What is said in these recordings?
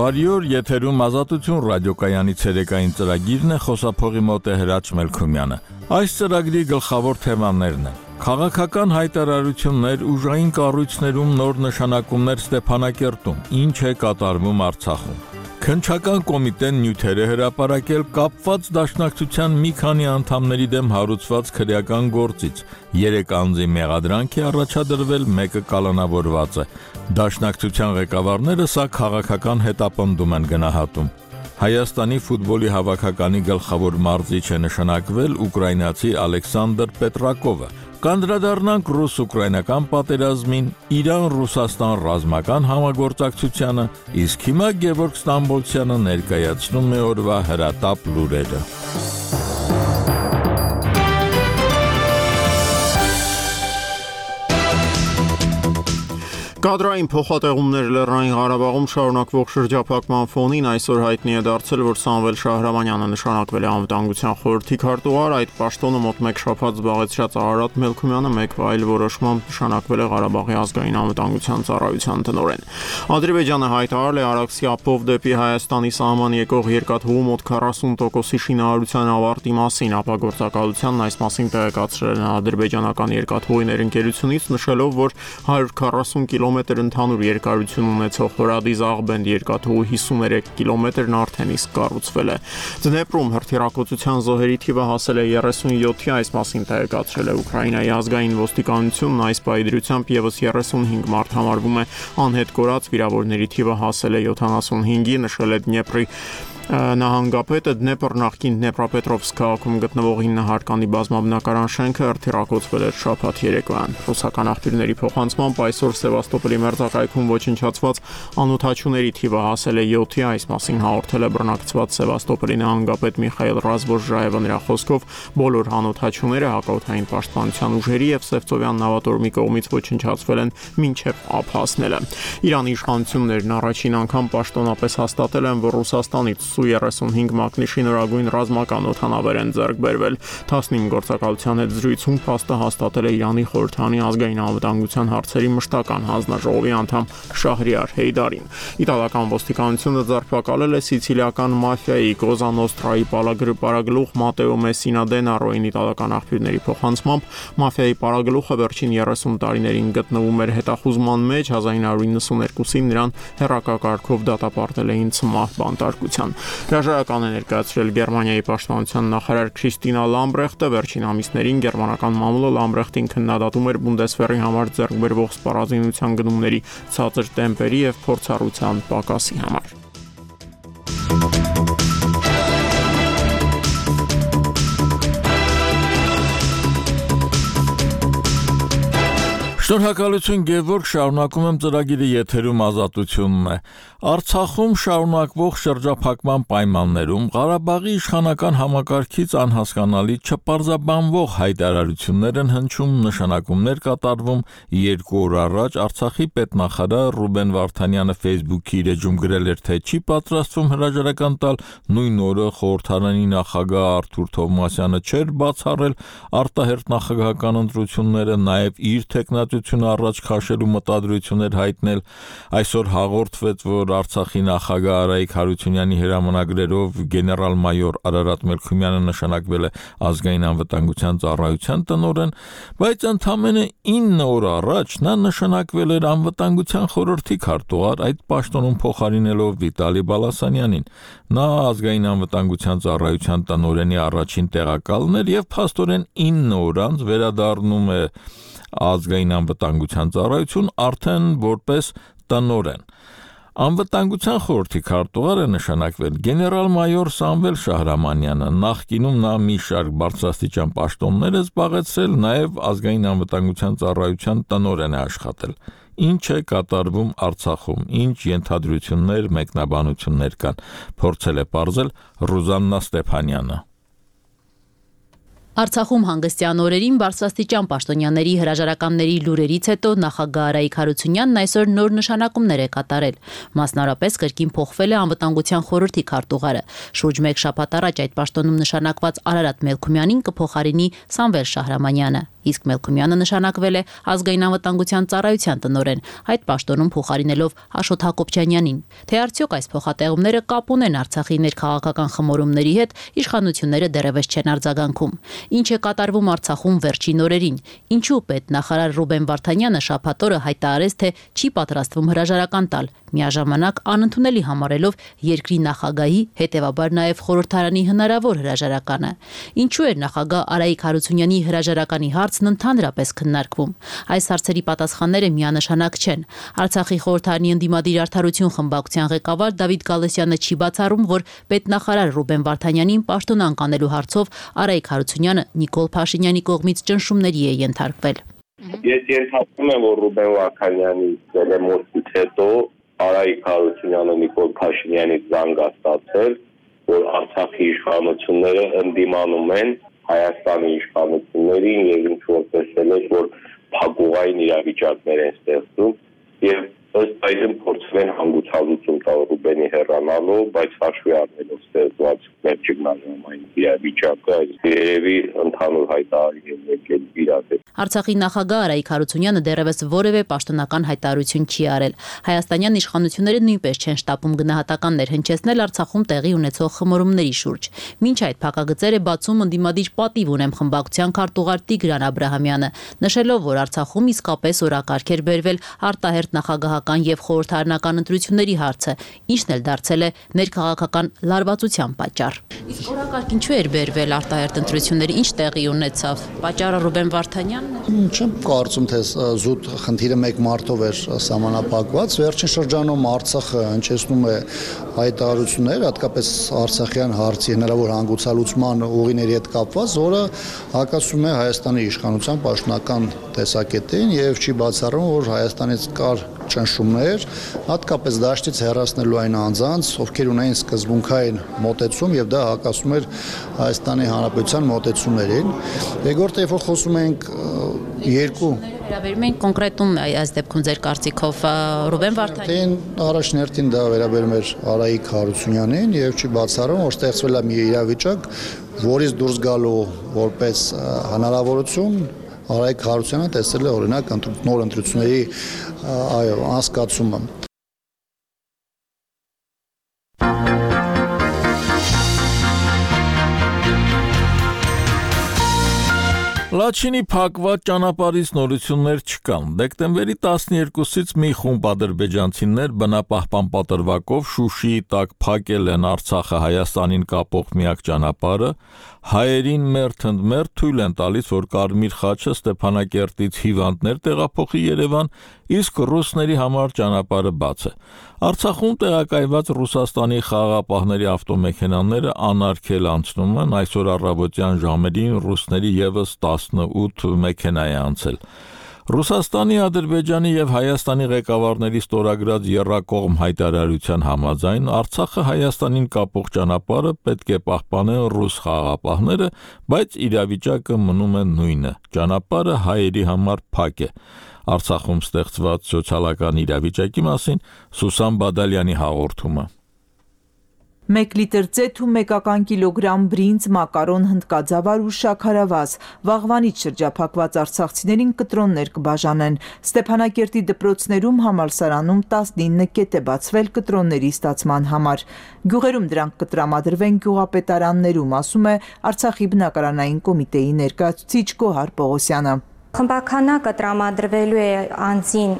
Բարի օր, եթերում Ազատություն ռադիոկայանի ցերեկային ծրագիրն է, խոսափողի մոտ է Հրաչ Մելքումյանը։ Այս ծրագրի գլխավոր թեմաներն են. քաղաքական հայտարարություններ, ուժային կառույցներում նոր նշանակումներ Ստեփանակերտում, ինչ է կատարվում Արցախում։ Քննչական կոմիտեն նյութեր է հրապարակել կապված դաշնակցության մի քանի անդամների դեմ հարուցված քրեական գործից։ 3 անձի մեղադրանք է առաջադրվել, մեկը կալանավորված է։ Դաշնակցության ղեկավարները սա քաղաքական հետապնդում են գնահատում։ Հայաստանի ֆուտբոլի հավաքականի գլխավոր մարզիչ է նշանակվել ուկրաինացի Ալեքսանդր Պետրակովը։ Կանդրադառնանք ռուս-ուկրաինական պատերազմին, Իրան-Ռուսաստան ռազմական համագործակցությանը, իսկ հիմա Գևորգ Ստամբոլցյանը ներկայացնում է օրվա հրատապ լուրերը։ Կադրային փոխատեղումներ Լեռնային Ղարաբաղում շարունակվող շրջափակման ֆոնին այսօր հայտնի է դարձել, որ Սամվել Շահրամանյանը նշանակվել է Անվտանգության խորհրդի քարտուղար, այդ պաշտոնը մոտ 1 շաբաթ զբաղեցրած Արարատ Մելքումյանը մեկ այլ որոշմամբ նշանակվել է Ղարաբաղի ազգային անվտանգության ծառայության տնօրեն։ Ադրբեջանը հայտարարել է Արաքսի ափով դեպի Հայաստանի սահման եկող երկաթուղու մոտ 40%-ի շինարարության ավարտի մասին, ապա գործակալությանն այս մասին տեղեկացրել են ադրբեջանական երկաթուղի ներընկերությունից, նշելով, որ 140 կիլոմետր ընդհանուր երկարություն ունեցող Հորադիզ Աղբենդ երկաթուղու 53 կիլոմետրն արդեն իսկ կառուցվել է։ Դնեպրում հրթիռակոծության զոհերի թիվը հասել է 37-ի, այս մասին տեղեկացրել է Ուկրաինայի ազգային ոստիկանությունն, այս պայդրությամբ եւս 35 մարդ համարվում է անհետ կորած, վիրավորների թիվը հասել է 75-ի, նշել է Դնեպրի նահանգապետը։ Դնեպր նախկին Դնեպրապետրովսկ քաղաքում գտնվող 9 հարկանի բազմաբնակարան շենքը հրթիռակոծվել էր շաբաթ երեկոյան։ Ռուսական աղբյուրների փոխանցմամբ այսօր Սևաստոպոլի մերձակայքում ոչնչացված անօթաչուների թիվը հասել է 7-ի, այս մասին հաղորդել է բռնակցված Սևաստոպոլի նահանգապետ Միխայել Ռազվոժաևը, նրա խոսքով բոլոր անօթաչուները հակաօդային պաշտպանության ուժերի եւ Սևծովյան նավատորմի կողմից ոչնչացվել են մինչեւ ափ հասնելը։ Իրանի իշխանություններն առաջին անգամ պաշտոնապես հաստատել են, որ Ռուսաստանից Su-35 մակնիշի նորագույն ռազմական օդանավեր են ձեռք բերվել։ 15 գործակալության հետ զրույցում փաստը հաստատել է Իրանի խորհրդանի ազգային անվտանգության հարցերի մշտական հանձնաժողովի անդամ Շահրիար Հեյդարին։ Իտալական ոստիկանությունը ձերբակալել է սիցիլիական մաֆիայի Կոզա Նոստրայի պարագլուխ Մատեո Մեսինա Դենարոին, իտալական աղբյուրների փոխանցմամբ մաֆիայի պարագլուխը վերջին 30 տարիներին գտնվում էր հետախուզման մեջ, 1992-ին նրան հեռակակարգով դատապարտել էին ցմահ բանտարկության։ Հրաժարական է ներկայացրել Գերմանիայի պաշտպանության նախարար Քրիստինա Լամբրեխտը, վերջին ամիսներին գերմանական մամուլը Լամբրեխտին քննադատում էր Բունդեսվերի համար ձեռք բերվող սպառազինության գնումների ցածր տեմպերի եւ փորձառության պակասի համար։ Շնորհակալություն Գևորգ, շարունակում եմ ծրագիրը, եթերում Ազատությունն է։ Արցախում շարունակվող շրջափակման պայմաններում Ղարաբաղի իշխանական համակարգից անհասկանալի չպարզաբանվող հայտարարություններ են հնչում, նշանակումներ կատարվում։ 2 օր առաջ Արցախի պետնախարար Ռուբեն Վարդանյանը Facebook-ի իր էջում գրել էր, թե չի պատրաստվում հրաժարական տալ, նույն օրը խորհրդարանի նախագահ Արթուր Թովմասյանը չէր բացառել արտահերթ նախագահական ընտրությունները, նաև իր տեխնատությունը առաջ քաշելու մտադրություններ հայտնել։ Այսօր հաղորդվեց, որ Արցախի նախագահ Արայիկ Հարությունյանի հրամանագրերով գեներալ-մայոր Արարատ Մելքումյանը նշանակվել է ազգային անվտանգության ծառայության տնօրեն, բայց ընդամենը 9 օր առաջ նա նշանակվել էր անվտանգության խորհրդի քարտուղար, այդ պաշտոնում փոխարինելով Վիտալի Բալասանյանին։ Նա ազգային անվտանգության ծառայության տնօրենի առաջին տեղակալն էր եւ փաստորեն 9 օր անց վերադառնում է ազգային անվտանգության ծառայություն արդեն որպես տնօրեն։ Անվտանգության խորհրդի քարտուղար է նշանակվել գեներալ-մայոր Սամվել Շահրամանյանը, նախկինում նա մի շարք բարձրաստիճան պաշտոններ է զբաղեցրել, նաև ազգային անվտանգության ծառայության տնօրեն է աշխատել։ Ինչ է կատարվում Արցախում, ինչ ենթադրություններ, մեկնաբանություններ կան, փորձել է պարզել Ռուզաննա Ստեփանյանը։ Արցախում հանգստյան օրերին բարձրաստիճան պաշտոնյաների հրաժարականների լուրերից հետո նախագահ Արայիկ Հարությունյանն այսօր նոր նշանակումներ է կատարել։ Մասնարապես կրկին փոխվել է անվտանգության խորհրդի քարտուղարը։ Շուրջ 1 շաբաթ առաջ այդ պաշտոնում նշանակված Արարատ Մելքումյանին կփոխարինի Սամվել Շահրամանյանը։ իսկ Մելքումյանը նշանակվել է ազգային անվտանգության ծառայության տնօրեն, այդ պաշտոնում փոխարինելով Աշոտ Հակոբյանյանին։ Թե արդյոք այս փոխատեղումները կապ ունեն Արցախի ներքաղաքական խմորումների հետ, իշխանությունները դեռևս չեն արձագանքում։ Ինչ է կատարվում Արցախում վերջին օրերին։ Ինչու պետնախարար Ռուբեն Վարդանյանը շաբաթ օրը հայտարարեց, թե չի պատրաստվում հրաժարական տալ, միաժամանակ անընդունելի համարելով երկրի նախագահի, հետևաբար նաև խորհրդարանի հնարավոր հրաժարականը։ Ինչու էր նախագահ Արայիկ Հարությունյանի հրաժարականի հարցն ընդհանրապես քննարկվում։ Այս հարցերի պատասխանները միանշանակ չեն։ Արցախի խորհրդարանի ընդդիմադիր արդարություն խմբակցության ղեկավար Դավիթ Գալստյանը չի բացառում, որ պետնախարար Ռուբեն Վարդանյանին պաշտոն անկանելու հարցով Արայիկ Հարությունյանը Նիկոլ Փաշինյանի կողմից ճնշումների է ենթարկվել։ Ես ենթադրում եմ, որ Ռուբեն Վարդանյանի դեմոնստրացիայից հետո Արայիկ Հարությունյանը Նիկոլ Փաշինյանից զանգ ստացել, որ Արցախի իշխանությունները ընդդիմանում են Հայաստանի իշխանություններին եւ ինչ որ տեսել են, որ փակուղային իրավիճակներ են ստեղծում եւ ըստ այդմ փորձում են հանգուցալուծում տալ Ռուբենի հեռանալով, բայց հաշվի առնելով ստեղծված ներճգնաժամային իրավիճակը, երևի ընդհանուր հայտարարի եկել իրադարձ։ Արցախի նախագահ Արայիկ Հարությունյանը դեռևս որևէ պաշտոնական հայտարարություն չի արել։ Հայաստանյան իշխանությունները նույնպես չեն շտապում գնահատականներ հնչեցնել Արցախում տեղի ունեցող խմորումների շուրջ։ Մինչ այդ փակագծեր է բացում ընդդիմադիր պատիվ ունեմ խմբակցության քարտուղար Տիգրան Աբրահամյանը, նշելով, որ Արցախում իսկապես օրակարգ էր բերվել արտահերթ նախագահական եւ խորհրդարանական ընտրությունների հարցը, ինչն էլ դարձել է ներքաղաքական լարվածության պատճառ։ Իսկ օրակարգ ինչու էր բերվել արտահերթ ընտրությունների, ինչ տեղի ունեցավ։ Պատճառը Ռուբեն Վարդանյանն է։ Չեմ կարծում, թե զուտ խնդիրը մեկ մարտով էր սահմանափակված։ Վերջին շրջանում Արցախը հնչեցնում է հայտարարություններ, հատկապես արցախյան հարցի հնարավոր հանգուցալուծման ուղիների հետ կապված, որը հակասում է Հայաստանի իշխանության պաշտոնական տեսակետին եւ չի բացառում, որ Հայաստանից կար ճնշումներ, հատկապես դաշտից հեռացնելու այն անձանց, ովքեր ունեին սկզբունքային մոտեցում եւ դա հակասում էր Հայաստանի Հանրապետության մոտեցումներին։ Երկրորդը, երբ որ խոսում ենք երկու վերաբերում ենք կոնկրետում այս դեպքում ձեր կարծիքով Ռուբեն Վարդանյանին առաջներտին դա վերաբերում էր Արայիկ Հարությունյանին եւ չի բացառում, որ ստեղծվել է մի իրավիճակ, որից դուրս գալու որպես հնարավորություն Արայիկ Հարությունյանը տեսել է օրինակ նոր ընտրությունների անցկացումը։ Լաչինի փակված ճանապարհից նորություններ չկան։ Դեկտեմբերի 12-ից մի խումբ ադրբեջանցիներ բնապահպան պատրվակով Շուշիի տակ փակել են Արցախը Հայաստանին կապող միակ ճանապարհը, հայերին մերթ թույլ են տալիս, որ Կարմիր խաչը Ստեփանակերտից հիվանդներ տեղափոխի Երևան, իսկ ռուսների համար ճանապարհը բաց է։ Արցախում տեղակայված Ռուսաստանի խաղաղապահների ավտոմեքենաները անարգել անցնում են, այսօր առավոտյան ժամերին ռուսների եւս 18 մեքենա է անցել։ Ռուսաստանի, Ադրբեջանի եւ Հայաստանի ղեկավարների ստորագրած եռակողմ հայտարարության համաձայն Արցախը Հայաստանին կապող ճանապարհը պետք է պահպանեն ռուս խաղաղապահները, բայց իրավիճակը մնում է նույնը։ Ճանապարհը հայերի համար փակ է։ Արցախում ստեղծված սոցիալական իրավիճակի մասին Սուսան Բադալյանի հաղորդումը։ 1 լիտր ծեթ ու 1 կիլոգրամ բրինձ, մակարոն, հնդկաձավար ու շաքարավազ։ Վաղվանից շրջափակված արցախցիներին կտրոններ կբաժանեն։ Ստեփանակերտի դպրոցներում համալսարանում 19 կետ է բացվել կտրոնների ստացման համար։ Գյուղերում դրանք կտրամադրվեն գյուղապետարաններում, ասում է Արցախի բնակարանային կոմիտեի ներկայացուցիչ Գոհար Պողոսյանը։ Խմբականակը տրամադրվելու է անձին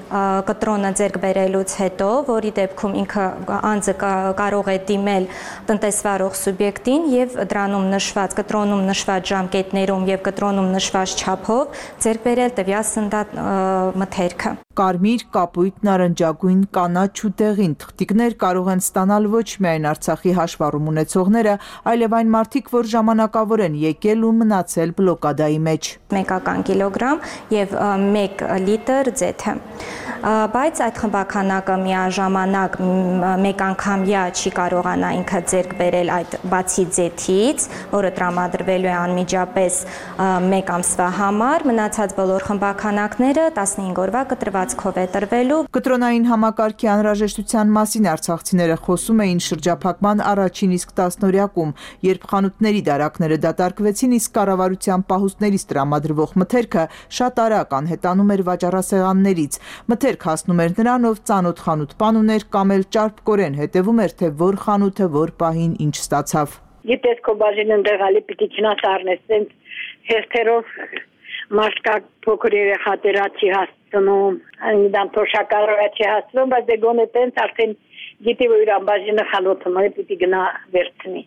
կտրոնը ձեռք բերելուց հետո, որի դեպքում ինքը անձը կարող է դիմել տնտեսվարող սուբյեկտին եւ դրանում նշված կտրոնում նշված ժամկետներում եւ կտրոնում նշված չափով ձեռք բերել տվյալ սննդամթերքը։ Կարմիր, կապույտ, նարնջագույն, կանաչ ու դեղին թղթիկներ կարող են ստանալ ոչ միայն Արցախի հաշվառում ունեցողները, այլև այն մարդիկ, որ ժամանակավոր են եկել ու մնացել բլոկադայի մեջ։ 1 կիլոգրամ եւ 1 լիտր ձեթը։ բայց այդ խմբաքանակը միաժամանակ մեկ անգամյա չի կարողանա ինքը ձեռք բերել այդ բացի ձեթից, որը տրամադրվելու է անմիջապես մեկ ամսվա համար, մնացած բոլոր խմբաքանակները 15 օրվա կտրվածքով է տրվելու։ Կտրոնային համակարգի անհրաժեշտության մասին արցախցիները խոսում էին շրջափակման առաջին իսկ 10-օրյակում, երբ խանութների դարակները դատարկվեցին, իսկ կառավարության պահուստներից տրամադրվող մթերքը շատ արագ անհետանում էր վաճառասեղաններից։ Մթերք հասնում էր նրան, ով ծանոթ խանութ-պան ուներ կամ էլ ճարպկորեն հետևում էր, թե որ խանութը որ պահին ինչ ստացավ։ Գիտես քո բաժինը ընդեղալի պիտի չնաս առնես, սենց հերթերով մաշկա փոքր երեխա տերա չի հասցնում, այնքան թոշակառը չի հասցնում, բայց դե գոնե տենց արդեն գիտի որ իր ամբաժինը խանութը մը պիտի գնա վերցնի։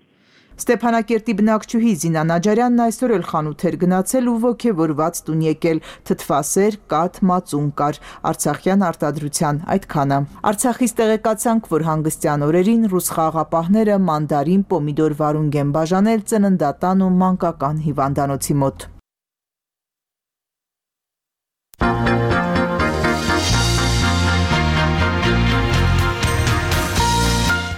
Ստեփանակերտի բնակչուհի Զինա Նաջարյանն այսօր էլ խանութ էր գնացել ու ոգևորված տուն եկել, թթվասեր, կաթ, մածուն կար, արցախյան արտադրության այդքանը։ Արցախից տեղեկացանք, որ հանգստյան օրերին ռուս խաղաղապահները մանդարին, պոմիդոր վարունգ են բաժանել ծննդատան ու մանկական հիվանդանոցի մոտ։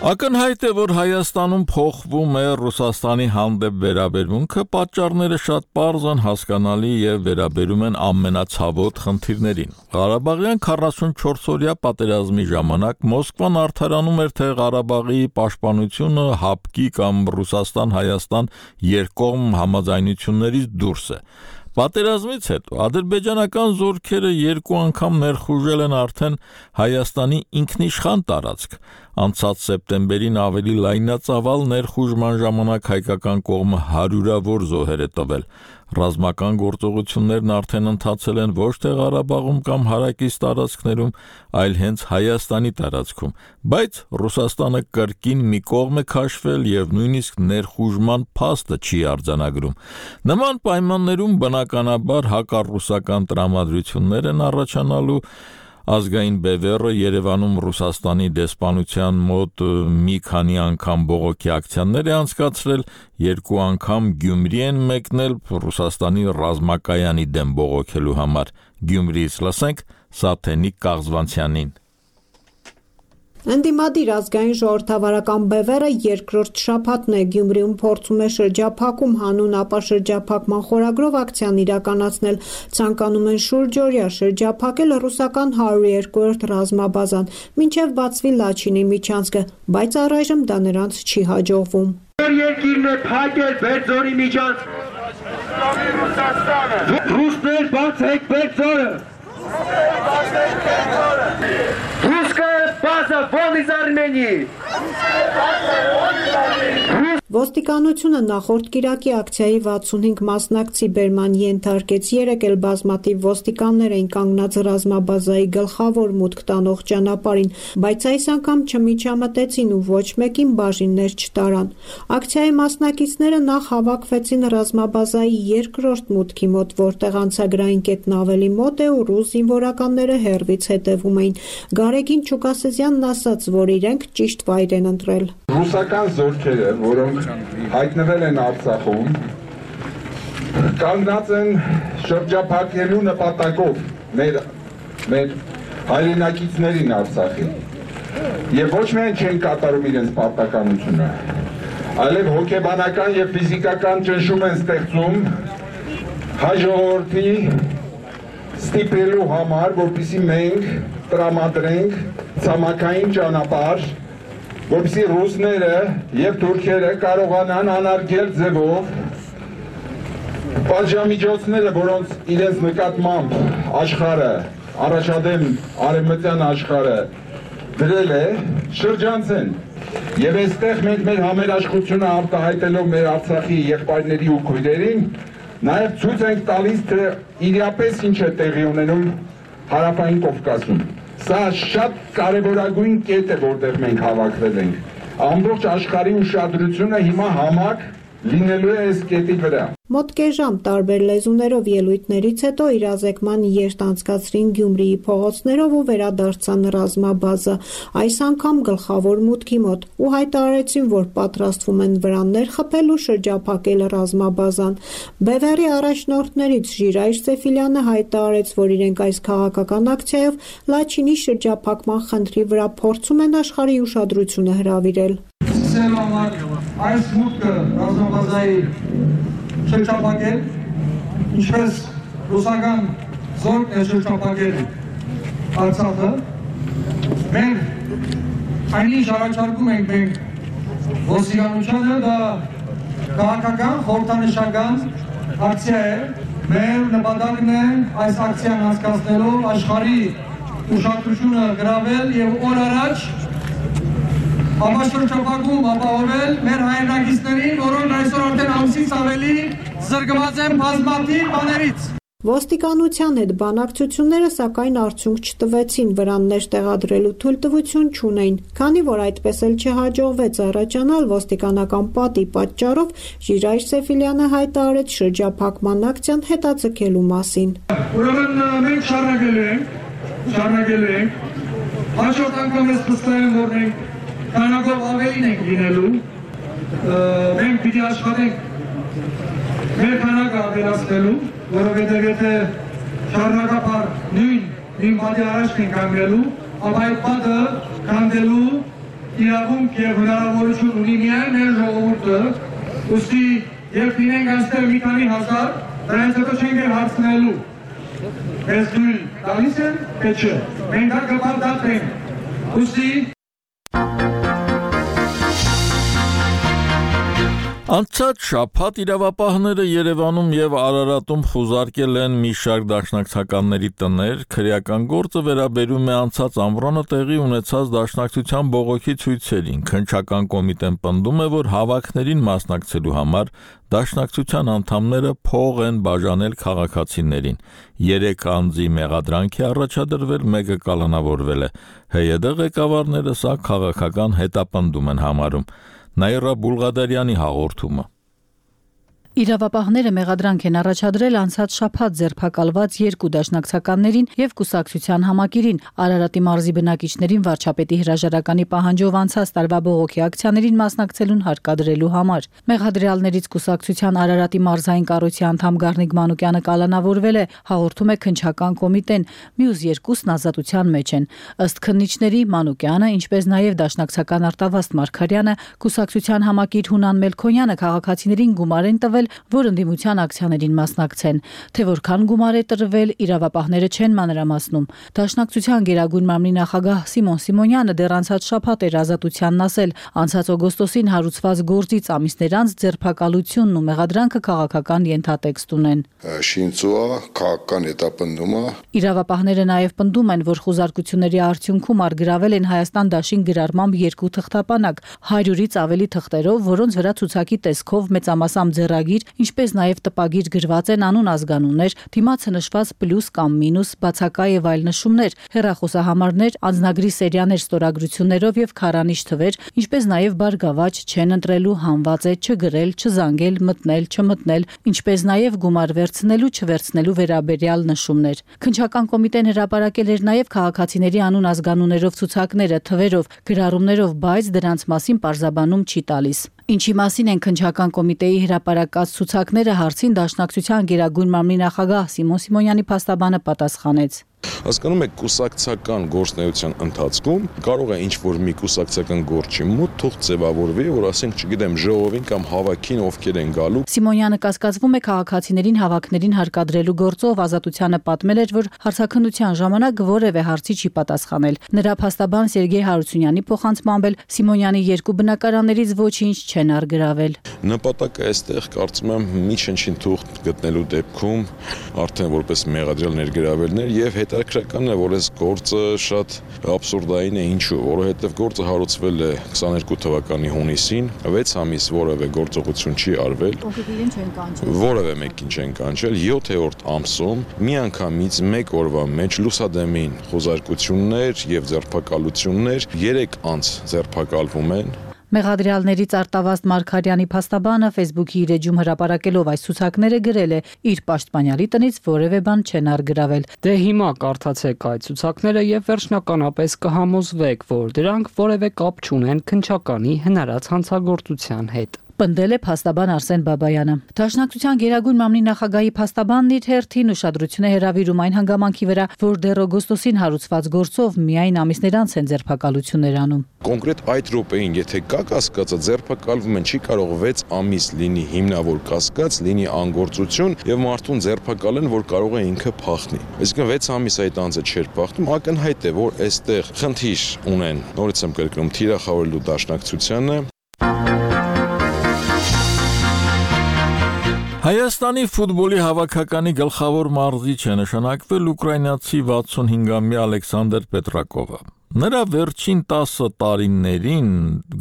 Ակնհայտ է, որ Հայաստանում փոխվում է Ռուսաստանի հանդեպ վերաբերմունքը, պատճառները շատ պարզ են, հասկանալի եւ վերաբերում են ամենացավոտ խնդիրներին։ Ղարաբաղյան 44-օրյա պատերազմի ժամանակ Մոսկվան արդարանում էր, թե Ղարաբաղի պաշտպանությունը հապկի կամ Ռուսաստան-Հայաստան երկկողմ համաձայնություններից դուրս է։ Պատերազմից հետո ադրբեջանական զորքերը երկու անգամ ներխուժել են արդեն Հայաստանի ինքնիշխան տարածք։ Անցած սեպտեմբերին ավելի լայնածավալ ներխուժման ժամանակ հայկական կողմը հարյուրավոր զոհեր է տվել։ Ռազմական գործողություններն արդեն ընթացել են ոչ թե Ղարաբաղում կամ հարակից տարածքներում, այլ հենց Հայաստանի տարածքում, բայց Ռուսաստանը կրկին մի կողմ է քաշվել եւ նույնիսկ ներխուժման փաստը չի արձանագրում։ Նման պայմաններում բնականաբար հակառուսական տրամադրություններ են առաջանալու։ Ազգային բևեռը Երևանում Ռուսաստանի դեսպանության մոտ մի քանի անգամ բողոքի ակցիաներ է անցկացրել, երկու անգամ Գյումրի են մեկնել Ռուսաստանի ռազմակայանի դեմ բողոքելու համար։ Գյումրիից լսենք Սաթենիկ Կաղզվանցյանին։ Ընդդիմադիր ազգային ժողովրդավարական բևեռը երկրորդ շաբաթն է Գյումրիում փորձում է շրջափակում հանուն ապա շրջափակման խորագրով ակցիան իրականացնել, ցանկանում են շուրջօրյա շրջափակել ռուսական 102-րդ ռազմաբազան, մինչև բացվի Լաչինի միջանցքը, բայց առայժմ դա նրանց չի հաջողվում։ Երկիրն է փակել Բերձորի միջանցք։ Ռուսներ բացեք Բերձորը։ Русская база вон из Армении! Ոստիկանությունը նախորդ կիրակի ակցիայի 65 մասնակցի բերման ենթարկեց, երեկ էլ բազմաթիվ ոստիկաններ էին կանգնած ռազմաբազայի գլխավոր մուտք տանող ճանապարհին, բայց այս անգամ չմիջամտեցին ու ոչ մեկին բաժիններ չտարան։ Ակցիայի մասնակիցները նախ հավաքվեցին ռազմաբազայի երկրորդ մուտքի մոտ, որտեղ անցագրային կետն ավելի մոտ է ու ռուս զինվորականները հեռվից հետևում էին։ Գարեգին Չուկասեզյանն ասաց, որ իրենք ճիշտ վայր են ընտրել։ Ռուսական զորքերը, որոնք հայտնվել են Արցախում, կանգնած են շրջափակելու նպատակով մեր հայրենակիցներին Արցախին։ Եվ ոչ միայն չեն կատարում իրենց պարտականությունը, այլև հոգեբանական եւ ֆիզիկական ճնշում են ստեղծում հայ ժողովրդի ստիպելու համար, որպեսզի մենք տրամադրենք ցամաքային ճանապարհ, որպեսզի ռուսները եւ թուրքերը կարողանան անարգել ձևով պատժամիջոցները, որոնց իրենց նկատմամբ աշխարհը, առաջադեմ արևմտյան աշխարհը դրել է, շրջանցեն։ Եվ այստեղ մենք մեր համերաշխությունը արտահայտելով մեր Արցախի եղբայրների ու քույրերին, նաեւ ցույց ենք տալիս, թե իրապես ինչ է տեղի ունենում Հարավային Կովկասում։ Սա շատ կարևորագույն կետ է, որտեղ մենք հավաքվել ենք։ Ամբողջ աշխարհի ուշադրությունը հիմա համակ լինելու է այս կետի վրա։ Մոտ կես ժամ տարբեր լեզուներով ելույթներից հետո իրազեկման երթ անցկացրին Գյումրիի փողոցներով ու վերադարձան ռազմաբազա, այս անգամ գլխավոր մուտքի մոտ, ու հայտարարեցին, որ պատրաստվում են վրաններ խփել ու շրջափակել ռազմաբազան։ Բևեռի առաջնորդներից Ժիրայր Սեֆիլյանը հայտարարեց, որ իրենք այս քաղաքական ակցիայով Լաչինի շրջափակման խնդրի վրա փորձում են աշխարհի ուշադրությունը հրավիրել։ Այս մուտքը ռազմաբազայի շրջափակել, ինչպես ռուսական զորքն է շրջափակել Արցախը, մենք այնինչ առաջարկում ենք մենք ոստիկանությանը, դա քաղաքական խորհրդանշական ակցիա է, մեր նպատակն է այս ակցիան անցկացնելով աշխարհի ուշադրությունը գրավել եւ օր առաջ Համաշրջափակում ապահովել մեր հայրենակիցներին, որոնք այսօր արդեն ամսից ավելի զրկված են բազմաթիվ բաներից։ Ոստիկանության հետ բանակցությունները սակայն արդյունք չտվեցին, վրաններ տեղադրելու թույլտվություն չունեին, քանի որ այդպես էլ չհաջողվեց առաջանալ ոստիկանական պատի պատճառով, Ժիրայր Սեֆիլյանը հայտարարեց շրջափակման ակցիան հետաձգելու մասին։ Ուրեմն մենք շարունակելու ենք, հաջորդ անգամ ես վստահ եմ, որ մենք քանակով ավելին ենք լինելու, մենք պիտի աշխատենք մեր քանակը ավելացնելու, որովհետև եթե շարունակապար նույն պատի առաջ ենք կանգնելու, ապա այդ պատը քանդելու իրավունք և հնարավորություն ունի միայն մեր ժողովուրդը, ուստի երբ լինենք այստեղ մի քանի հազար, դրանից հետո չենք էլ հարցնելու, մեզ թույլ տալիս են, թե չէ, մենք դա կպարտադրենք, ուստի Անցած շաբաթ իրավապահները Երևանում եւ Արարատում խուզարկել են մի շարք դաշնակցականների տներ, քրեական գործը վերաբերում է անցած ամռանը տեղի ունեցած դաշնակցության բողոքի ցույցերին։ Քննչական կոմիտեն պնդում է, որ հավաքներին մասնակցելու համար դաշնակցության անդամները փող են բաժանել քաղաքացիներին։ 3 անձի մեղադրանք է առաջադրվել, մեկը կալանավորվել է։ ՀՅԴ ղեկավարները սա քաղաքական հետապնդում են համարում։ Նաիրա Բուլղադարյանի հաղորդումը։ Իրավապահները մեղադրանք են առաջադրել անցած շաբաթ ձերբակալված 2 դաշնակցականներին եւ կուսակցության համակիրին, Արարատի մարզի բնակիչներին վարչապետի հրաժարականի պահանջով անցած տարվա բողոքի ակցիաներին մասնակցելուն հարկադրելու համար։ Մեղադրյալներից կուսակցության Արարատի մարզային կառույցի անդամ Գառնիկ Մանուկյանը կալանավորվել է, հաղորդում է քննչական կոմիտեն, մյուս 2-ն ազատության մեջ են։ Ըստ քննիչների Մանուկյանը, ինչպես նաեւ դաշնակցական Արտավազդ Մարգարյանը, կուսակցության համակիր Հունան Մելքոնյանը քաղաքացիներին գումար են տվել, որ ընդդիմության ակցիաներին մասնակցեն, թե որքան գումար է տրվել, իրավապահները չեն մանրամասնում։ Դաշնակցության Գերագույն մամլի նախագահ Սիմոն Սիմոնյանը դեռ անցած շաբաթ էր ազատությանն ասել, անցած օգոստոսին հարուցված գործից ամիսներ անց ձերբակալությունն ու մեղադրանքը քաղաքական ենթատեքստ ունեն։ Շինծուա քաղաքական հետապնդումը։ Իրավապահները նաև պնդում են, որ խուզարկությունների արդյունքում արգրավել են Հայաստան դաշին գրառմամբ 2 թղթապանակ, 100-ից ավելի թղթերով, որոնց վրա ցուցակի տեսքով մեծամասամբ ձեռագիր, ինչպես նաև տպագիր գրված են անուն ազգանուններ, դիմացը նշված պլյուս կամ մինուս, բացակա եւ այլ նշումներ, հեռախոսահամարներ, անձնագրի սերիաներ ստորագրություններով եւ քարանիշ թվեր, ինչպես նաև բարգավաճ, չեն ընտրելու, հանված է, չգրել, չզանգել, մտնել, չմտնել, ինչպես նաև գումար վերցնելու, չվերցնելու վերաբերյալ նշումներ։ Քննչական կոմիտեն հրապարակել էր նաև քաղաքացիների անուն ազգանուններով ցուցակները, թվերով, գրառումներով, բայց դրանց մասին պարզաբանում չի տալիս։ Ինչի մասին են քննչական կոմիտեի հրապարակած ցուցակները հարցին դաշնակցության Գերագույն մամլի նախագահ Սիմոն Սիմոնյանի փաստաբանը պատասխանեց։ Հասկանում եք, կուսակցական գործունեության ընթացքում կարող է ինչ-որ մի կուսակցական գործի մոտ թող ձևավորվի, որ ասենք, չգիտեմ, ժողովին կամ հավաքին ովքեր են գալու։ Սիմոնյանը կասկածվում է քաղաքացիներին հավաքներին հարկադրելու գործով, ազատությանը պատմել էր, որ հարցաքննության ժամանակ որևէ հարցի չի պատասխանել։ Նրա փաստաբան Սերգեյ Հարությունյանի փոխանցմամբ էլ Սիմոնյանի 2 բնակարաններից ոչինչ չեն արգրավել։ Նպատակը այստեղ կարծում եմ մի չնչին թուղթ գտնելու դեպքում արդեն որպես մեղադրյալ ներգրավելներ եւ հետաքրքրական է, որ այս գործը շատ աբսուրդային է, ինչու, որովհետեւ գործը հարուցվել է 22 թվականի հունիսին, 6 ամիս որևէ գործողություն չի արվել, որևէ մեկին չեն կանչել, 7-րդ ամսում միանգամից մեկ օրվա մեջ լուսադեմին խոզարկություններ եւ ձերբակալություններ, 3 անձ ձերբակալվում են։ Մեղադրյալներից Արտավազդ Մարգարյանի փաստաբանը Facebook-ի իր էջում հրապարակելով այս ցուցակները գրել է. իր պաշտպանյալի տնից որևէ բան չեն առգրավել։ Դե հիմա կարդացեք այդ ցուցակները եւ վերջնականապես կհամոզվեք, որ դրանք որևէ կապ չունեն քննչականի հնարած հանցագործության հետ։ Պնդել է փաստաբան Արսեն Բաբայանը։ Դաշնակցության Գերագույն մամլի նախագահի փաստաբանն իր հերթին ուշադրություն է հրավիրում այն հանգամանքի վրա, որ դեռ օգոստոսին հարուցված գործով միայն ամիսներ անց են ձերբակալություններ անում։ Կոնկրետ այդ րոպեին, եթե կա կասկածը, ձերբակալվում են, չի կարող 6 ամիս լինի հիմնավոր կասկած, լինի անգործություն եւ մարդուն ձերբակալեն, որ կարող է ինքը փախնի։ Այսինքն 6 ամիս այդ անձը չէր փախնում, ակնհայտ է, որ այստեղ խնդիր ունեն։ Նորից եմ կրկնում, թիրախավորելու դաշնակցությանը։ Հայաստանի ֆուտբոլի հավաքականի գլխավոր մարզիչ է նշանակվել ուկրաինացի 65-ամյա Ալեքսանդր Պետրակովը։ Նրա վերջին 10 տարիներին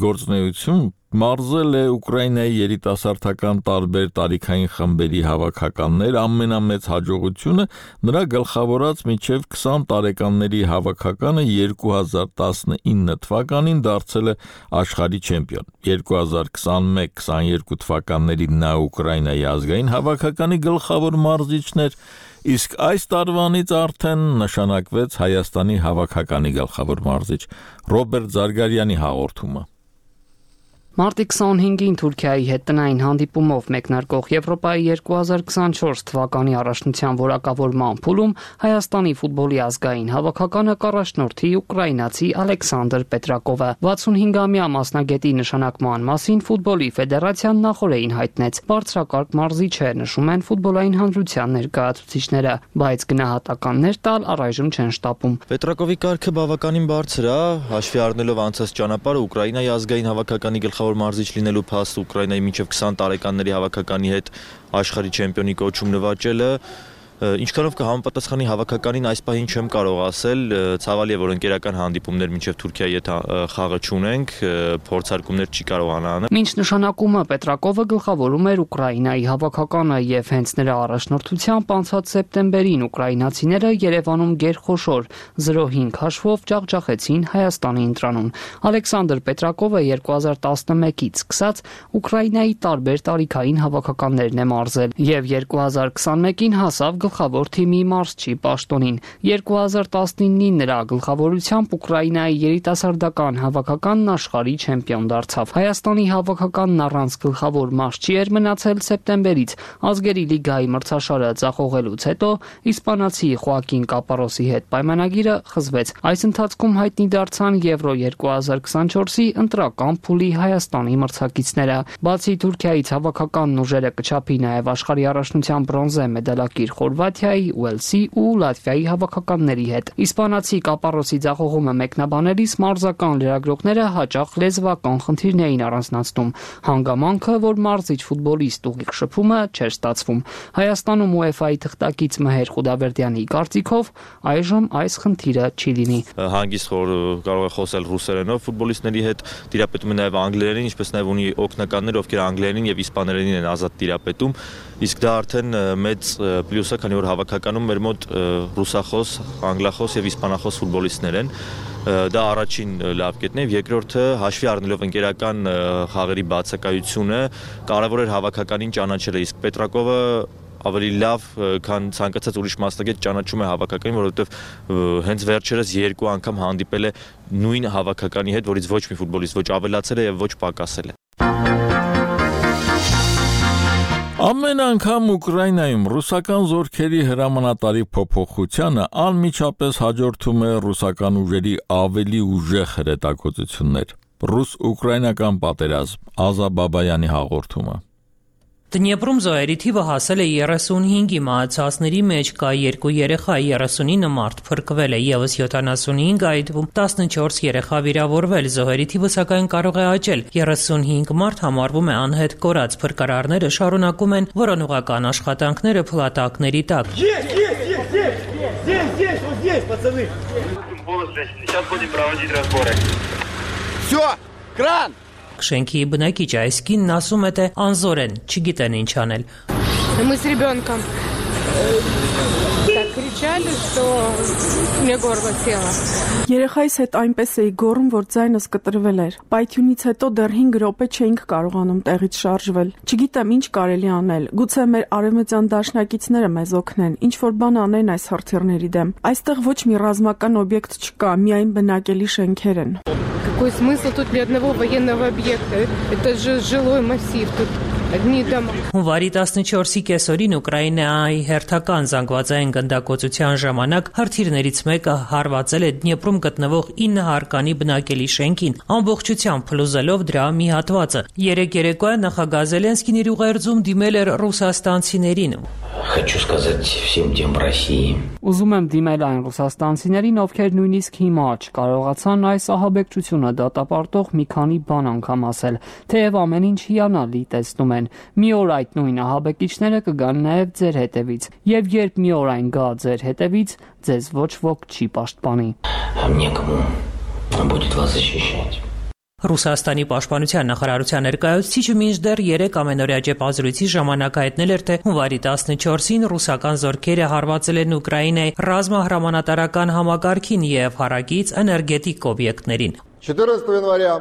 գործունեություն մարզել է Ուկրաինայի երիտասարդական տարբեր տարիքային խմբերի հավաքականներ, ամենամեծ հաջողությունը նրա գլխավորած մինչև 20 տարեկանների հավաքականը 2019 թվականին դարձել է աշխարհի չեմպիոն։ 2021-22 թվականներին նա Ուկրաինայի ազգային հավաքականի գլխավոր մարզիչն էր, իսկ այս տարվանից արդեն նշանակվեց Հայաստանի հավաքականի գլխավոր մարզիչ։ Ռոբերտ Զարգարյանի հաղորդումը։ Մարտի 25-ին Թուրքիայի հետ տնային հանդիպումով մեկնարկող Եվրոպայի 2024 թվականի առաջնության որակավորման փուլում Հայաստանի ֆուտբոլի ազգային հավաքականը կառաջնորդի ուկրաինացի Ալեքսանդր Պետրակովը 65-ամյա մասնագետի նշանակման մասին ֆուտբոլի ֆեդերացիան նախորդին հայտնեց։ Բարձրակարգ մարզիչ է, նշում են ֆուտբոլային հանրության ներկայացուցիչները, բայց գնահատականներ տալ առայժմ չեն շտապում։ Պետրակովի կարգը բավականին բարձր է, հաշվի առնելով անցած ճանապարհը Ուկրաինայի ազգային հավաքականի գլխավոր մարզիչ լինելու փաստ Ուկրաինայի մինչև 20 տարեկանների հավաքականի հետ աշխարհի չեմպիոնի կոչում նվաճելը ինչքանով կհամապատասխանի հավաքականին այս պահին չեմ կարող ասել, ցավալի է, որ ընկերական հանդիպումներ մինչև Թուրքիայի հետ խաղը չունենք, փորձարկումներ չի կարողանա անել։ Մինչ նշանակումը Պետրակովը գլխավորում էր Ուկրաինայի հավաքականը եւ հենց նրա առաջնորդությամբ անցած սեպտեմբերին ուկրաինացիները Երևանում գերխոշոր 0-5 հաշվով ջախջախեցին Հայաստանի ընտրանուն։ Ալեքսանդր Պետրակովը 2011-ից սկսած Ուկրաինայի տարբեր տարիքային հավաքականներն է մարզել եւ 2021-ին հասավ գլխավոր թիմի մարզչի պաշտոնին։ 2019-ին նրա գլխավորությամբ Ուկրաինայի երիտասարդական հավաքականն աշխարհի չեմպիոն դարձավ։ Հայաստանի հավաքականն առանց գլխավոր մարզչի էր մնացել սեպտեմբերից։ Ազգերի լիգայի մրցաշարը ձախողելուց հետո իսպանացի Խոակին Կապարոսի հետ պայմանագիրը խզվեց։ Այս ընթացքում հայտնի դարձան Եվրո 2024-ի ընտրական փուլի Հայաստանի մրցակիցները։ Բացի Թուրքիայից հավաքականն ուժերը կչափի նաև աշխարհի առաջնության բրոնզե մեդալակիր Խորվաթիայի, Ուելսի ու Լատվիայի հավաքականների հետ։ Իսպանացի Կապարոսի ձախողումը մեկնաբանելիս մարզական լրագրողները հաճախ լեզվական խնդիրներ էին առանձնացնում։ Հանգամանքը, որ մարզիչ ֆուտբոլիստ ուղիղ շփումը չէր ստացվում։ Հայաստանում UEFA-ի թղթակից Մհեր Խուդավերդյանի կարծիքով այժմ այս խնդիրը չի լինի։ Հանգիստ կարող է խոսել ռուսերենով ֆուտբոլիստների հետ, տիրապետում է նաև անգլերենին, ինչպես նաև ունի օգնականներ, ովքեր անգլերենին եւ իսպաներենին են ազատ տիրապետում, իսկ դա արդեն մեծ պլյուս է, քանի որ հավաքականում մեր մոտ ռուսախոս, անգլախոս եւ իսպանախոս ֆուտբոլիստներ են։ Դա առաջին լավ կետն է, երկրորդը հաշվի առնելով ընկերական խաղերի բացակայությունը, կարևոր էր հավաքականին ճանաչելը, իսկ Պետրակովը ավելի լավ, քան ցանկացած ուրիշ մասնագետ ճանաչում է հավաքականին, որովհետև հենց վերջերս 2 անգամ հանդիպել է նույն հավաքականի հետ, որից ոչ մի ֆուտբոլիստ ոչ ավելացել է եւ ոչ պակասել է։ Ամեն անգամ Ուկրաինայում ռուսական զորքերի հրամանատարի փոփոխությանը անմիջապես հաջորդում է ռուսական ուժերի ավելի ուժեղ հրետակոծություններ։ Ռուս-ուկրաինական պատերազմ, Ազա Բաբայանի հաղորդումը։ Դնեպրում զոհերի թիվը հասել է 35-ի, մահացածների մեջ կա 2 երեխա, 39 մարդ փրկվել է, եւս 75, այդ թվում 14 երեխա վիրավորվել, զոհերի թիվը սակայն կարող է աճել, 35 մարդ համարվում է անհետ կորած, փրկարարները շարունակում են որոնողական աշխատանքները փլատակների տակ։ Всё, кран! Շենքի բնակիչ այս կինն ասում է, թե անզոր են, չգիտեն ինչ անել։ Мы с ребенком. Так, кричали, что мне горло село. Երեխայիս հետ այնպես էի գոռում, որ ձայնս կտրվել էր։ Պայթյունից հետո դեռ 5 րոպե չէինք կարողանում տեղից շարժվել։ Չգիտեմ ինչ կարելի անել։ Գուցե մեր արևմտյան դաշնակիցները մեզ օգնեն, ինչ որ բան անեն այս հրթիռների դեմ։ Այստեղ ոչ մի ռազմական օբյեկտ չկա, միայն բնակելի շենքեր են։ Какой смысл тут ни одного военного объекта? Это же жилой массив тут. Հունվարի 14-ի կեսօրին Ուկրաինայի հերթական զանգվածային գնդակոծության ժամանակ հրթիռներից մեկը հարվածել է Դնեպրում գտնվող 9 հարկանի բնակելի շենքին, ամբողջությամբ փլուզելով դրա մի հատվածը։ Երեկ երեկոյան նախագահ Զելենսկին իր ուղերձում դիմել էր ռուսաստանցիներին։ Хочу сказать всем тем в России. Ուզում եմ դիմել այն ռուսաստանցիներին, ովքեր նույնիսկ հիմա չկարողացան այս ահաբեկչությունը դատապարտող մի քանի բան անգամ ասել, թեև ամեն ինչ հիանալի տեսնում են։ Մի օր այդ нույն ահաբեկիչները կգան նաև ձեր հետևից, եւ երբ մի օր այն գա ձեր հետևից, ձեզ ոչ ոք չի պաշտպանի։ Некому будет вас защищать. Ռուսաստանի պաշտպանության նախարարության ներկայացուցիչը մինչդեռ 3 ամենօրյա ճեպազրույցի ժամանակ հայտնել էր, թե հունվարի 14-ին ռուսական զորքերը հարվածել են Ուկրաինայի ռազմահրամանատարական համակարգին եւ հարակից էներգետիկ օբյեկտներին։ 14 января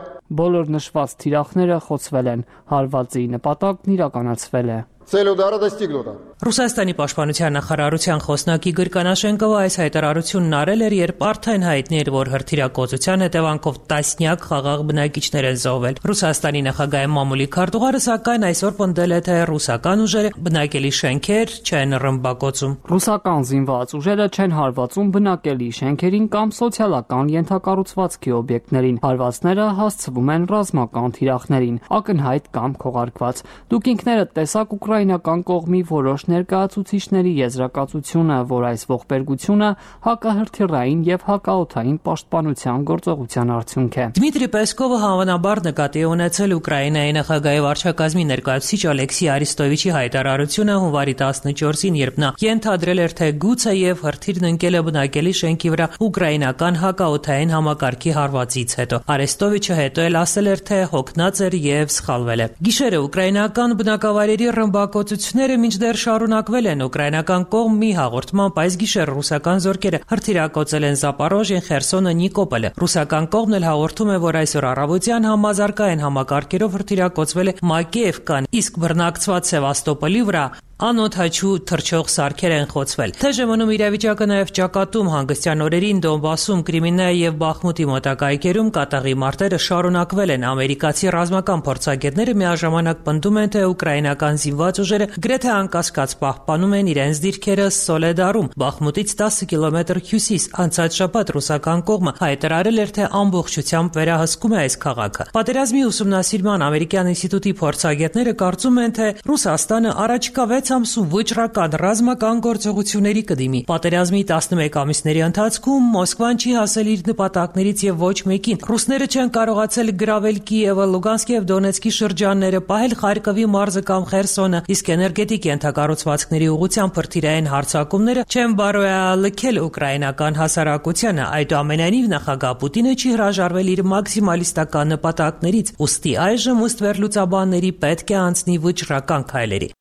Բոլոր նշված թիրախները խոցվել են, հարվածի նպատակն իրականացվել է։ Цель удара достигнута. Ռուսաստանի պաշտպանության նախարարության խոսնակի Գրկանաշենկովը այս հայտարարությունն արել էր, երբ արդեն հայտնի էր, որ հրթիռակոծության հետևանքով տասնյակ խաղաղ բնակիչներ են զոհվել։ Ռուսաստանի նախագահի մամուլի քարտուղարը սակայն այսօր պնդել է, թե ռուսական ուժերը բնակելի շենքեր չեն ռմբակոծում։ Ռուսական զինված ուժերը չեն հարվածում բնակելի շենքերին կամ սոցիալական ենթակառուցվածքի օբյեկտներին։ Հարվածները հասցվում են ռազմական թիրախներին, ակնհայտ կամ քողարկված։ Դուք ինքներդ տեսաք ուկրաինական կողմի որոշ ներկայացուցիչների եզրակացությունը, որ այս ողբերգությունը հակահրթիռային եւ հակաօդային պաշտպանության գործողության արդյունք է։ Դմիտրի Պեսկովը հավանաբար նկատի է ունեցել Ուկրաինայի նախագահի վարչակազմի ներկայացուցիչ Ալեքսի Արիստովիչի հայտարարությունը հունվարի 14-ին, երբ նա ենթադրել էր, թե գուցե եւ հրթիռն ընկել է բնակելի շենքի վրա ուկրաինական հակաօդային համակարգի հարվածից հետո։ Արեստովիչը հետո էլ ասել էր, թե հոգնած էր եւ սխալվել է։ Գիշերը ուկրաինական բնակավայրերի ռմբակոծությունները մինչդեռ շարունակվել են։ Ուկրաինական կողմ մի հաղորդմամբ այս գիշեր ռուսական զորքերը հրթիռակոծել են Զապորոժիեն, Խերսոնը, Նիկոպոլը։ Ռուսական կողմն էլ հաղորդում է, որ այսօր առավոտյան համազարգային համակարգերով հրթիռակոծվել է Մակեևկան, իսկ բռնակցված Սևաստոպոլի վրա անօդաչու թռչող սարքեր են խոցվել։ ԹԺՄ-ում իրավիճակը նաև ճակատում հանգստյան օրերին Դոնբասում, Կրիմինայի եւ Բախմուտի մոտակայքերում կատաղի մարտերը շարունակվել են։ Ամերիկացի ռազմական փորձագետները միաժամանակ պնդում են, թե ուկրաինական զինված ուժերը գրեթե անկասկած պահպանում են իրենց դիրքերը Սոլեդարում, Բախմուտից 10 կիլոմետր հյուսիս։ Անցած շաբաթ ռուսական կողմը հայտարարել էր, թե ամբողջությամբ վերահսկում է այս քաղաքը։ Պատերազմի ուսումնասիրման ամերիկյան ինստիտուտի փորձագետները կարծում են, թե Ռուսաստանը առաջիկա 6 ամսում վճռական ռազմական գործողությունների կդիմի։ Պատերազմի 11 ամիսների ընթացքում Մոսկվան չի հասել իր նպատակներից եւ ոչ մեկին։ Ռուսները չեն կարողացել գրավել Կիևը, Լուգանսկի եւ Դոնեցկի շրջանները, պահել Խարկովի մարզը կամ Խերսոնը, իսկ էներգետիկ ենթակառուցվածքների ուղղությամբ հրթիռային հարձակումները չեն բարոյալքել ուկրաինական հասարակությանը։ Այդուամենայնիվ նախագահ Պուտինը չի հրաժարվել իր մաքսիմալիստական նպատակներից, ուստի այժմ ըստ վերլուծաբանների պետք է անցնի վճռական քայլերի։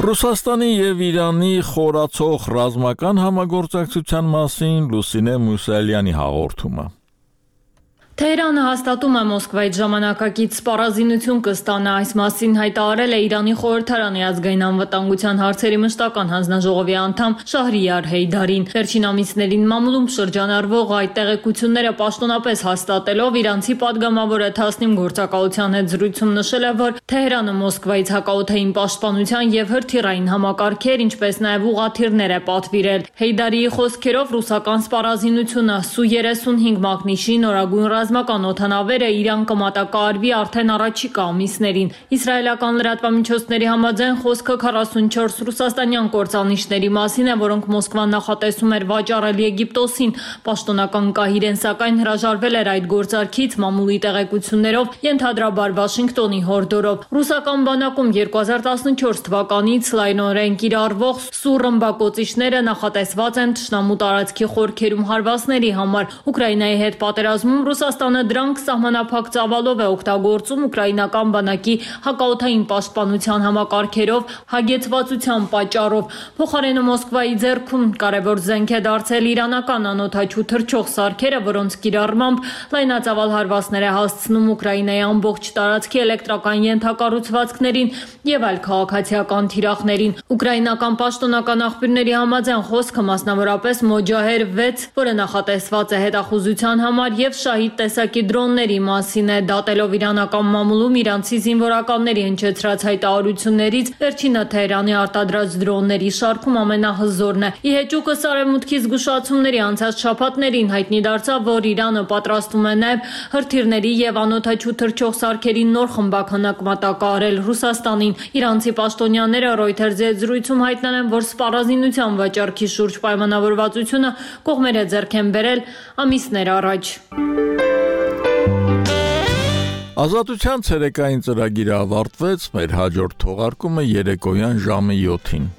Ռուսաստանի եւ Իրանի խորացող ռազմական համագործակցության մասին Լուսինե Մուսալյանի հաղորդումը։ Թեհրանը հաստատում է Մոսկվայից ժամանակակից սպառազինություն կստանա։ Այս մասին հայտարարել է Իրանի խորհրդարանի ազգային անվտանգության հարցերի մշտական հանձնաժողովի անդամ Շահրիար Հեյդարին։ Վերջին ամիսներին մամուլում շրջանառվող այդ տեղեկությունները պաշտոնապես հաստատելով իրանցի падգամավորը Թասնիմ գործակալության հետ զրույցում նշել է, որ Թեհրանը Մոսկվայից հակաօդային պաշտպանության եւ հրթիռային համակարգեր, ինչպես նաեւ ուղղաթիռներ է պատվիրել։ Հեյդարիի խոսքերով ռուսական սպառազինությունը Սու-35 մակնիշի նորագույն ռազմական օդանավերը Իրան կմատակարարվի արդեն առաջիկա ամիսներին։ Իսրայելական լրատվամիջոցների համաձայն խոսքը 44 ռուսաստանյան կործանիչների մասին է, որոնք Մոսկվան նախատեսում էր վաճառել Եգիպտոսին։ Պաշտոնական կահիրեն սակայն հրաժարվել էր այդ գործարքից մամուլի տեղեկություններով, ենթադրաբար Վաշինգտոնի հորդորով։ Ռուսական բանակում 2014 թվականից լայնորեն կիրառվող Սու ռմբակոծիչները նախատեսված են թշնամու տարածքի խորքերում հարվածների համար։ Ուկրաինայի հետ պատերազմում Ռուսաստանը դրանք սահմանափակ ծավալով է օգտագործում ուկրաինական բանակի հակաօդային պաշտպանության համակարգերով հագեցվածության պատճառով։ Փոխարենը Մոսկվայի ձեռքում կարևոր զենք է դարձել իրանական անօդաչու թռչող սարքերը, որոնց կիրառմամբ լայնածավալ հարվածներ է հասցնում Ուկրաինայի ամբողջ տարածքի էլեկտրական ենթակառուցվածքներին եւ այլ քաղաքացիական թիրախներին։ Ուկրաինական պաշտոնական աղբյուրների համաձայն խոսքը մասնավորապես Մոջահեր 6, որը նախատեսված է հետախուզության համար, եւ Շահիդ տեսակի դրոնների մասին է։ Դատելով իրանական մամուլում իրանցի զինվորականների հնչեցրած հայտարարություններից, վերջինը Թեհրանի արտադրած դրոնների շարքում ամենահզորն է։ Ի հեճուկս Արևմուտքի զգուշացումների անցած շաբաթներին հայտնի դարձավ, որ Իրանը պատրաստում է նաեւ հրթիռների եւ անօդաչու թռչող սարքերի նոր խմբաքանակ մատակարարել Ռուսաստանին։ Իրանցի պաշտոնյաները Reuters-ի հետ զրույցում հայտնել են, որ սպառազինության վաճառքի շուրջ պայմանավորվածությունը կողմերը ձեռք են բերել ամիսներ առաջ։ Ազատության ցերեկային ծրագիրը ավարտվեց, մեր հաջորդ թողարկումը երեկոյան ժամը 7-ին։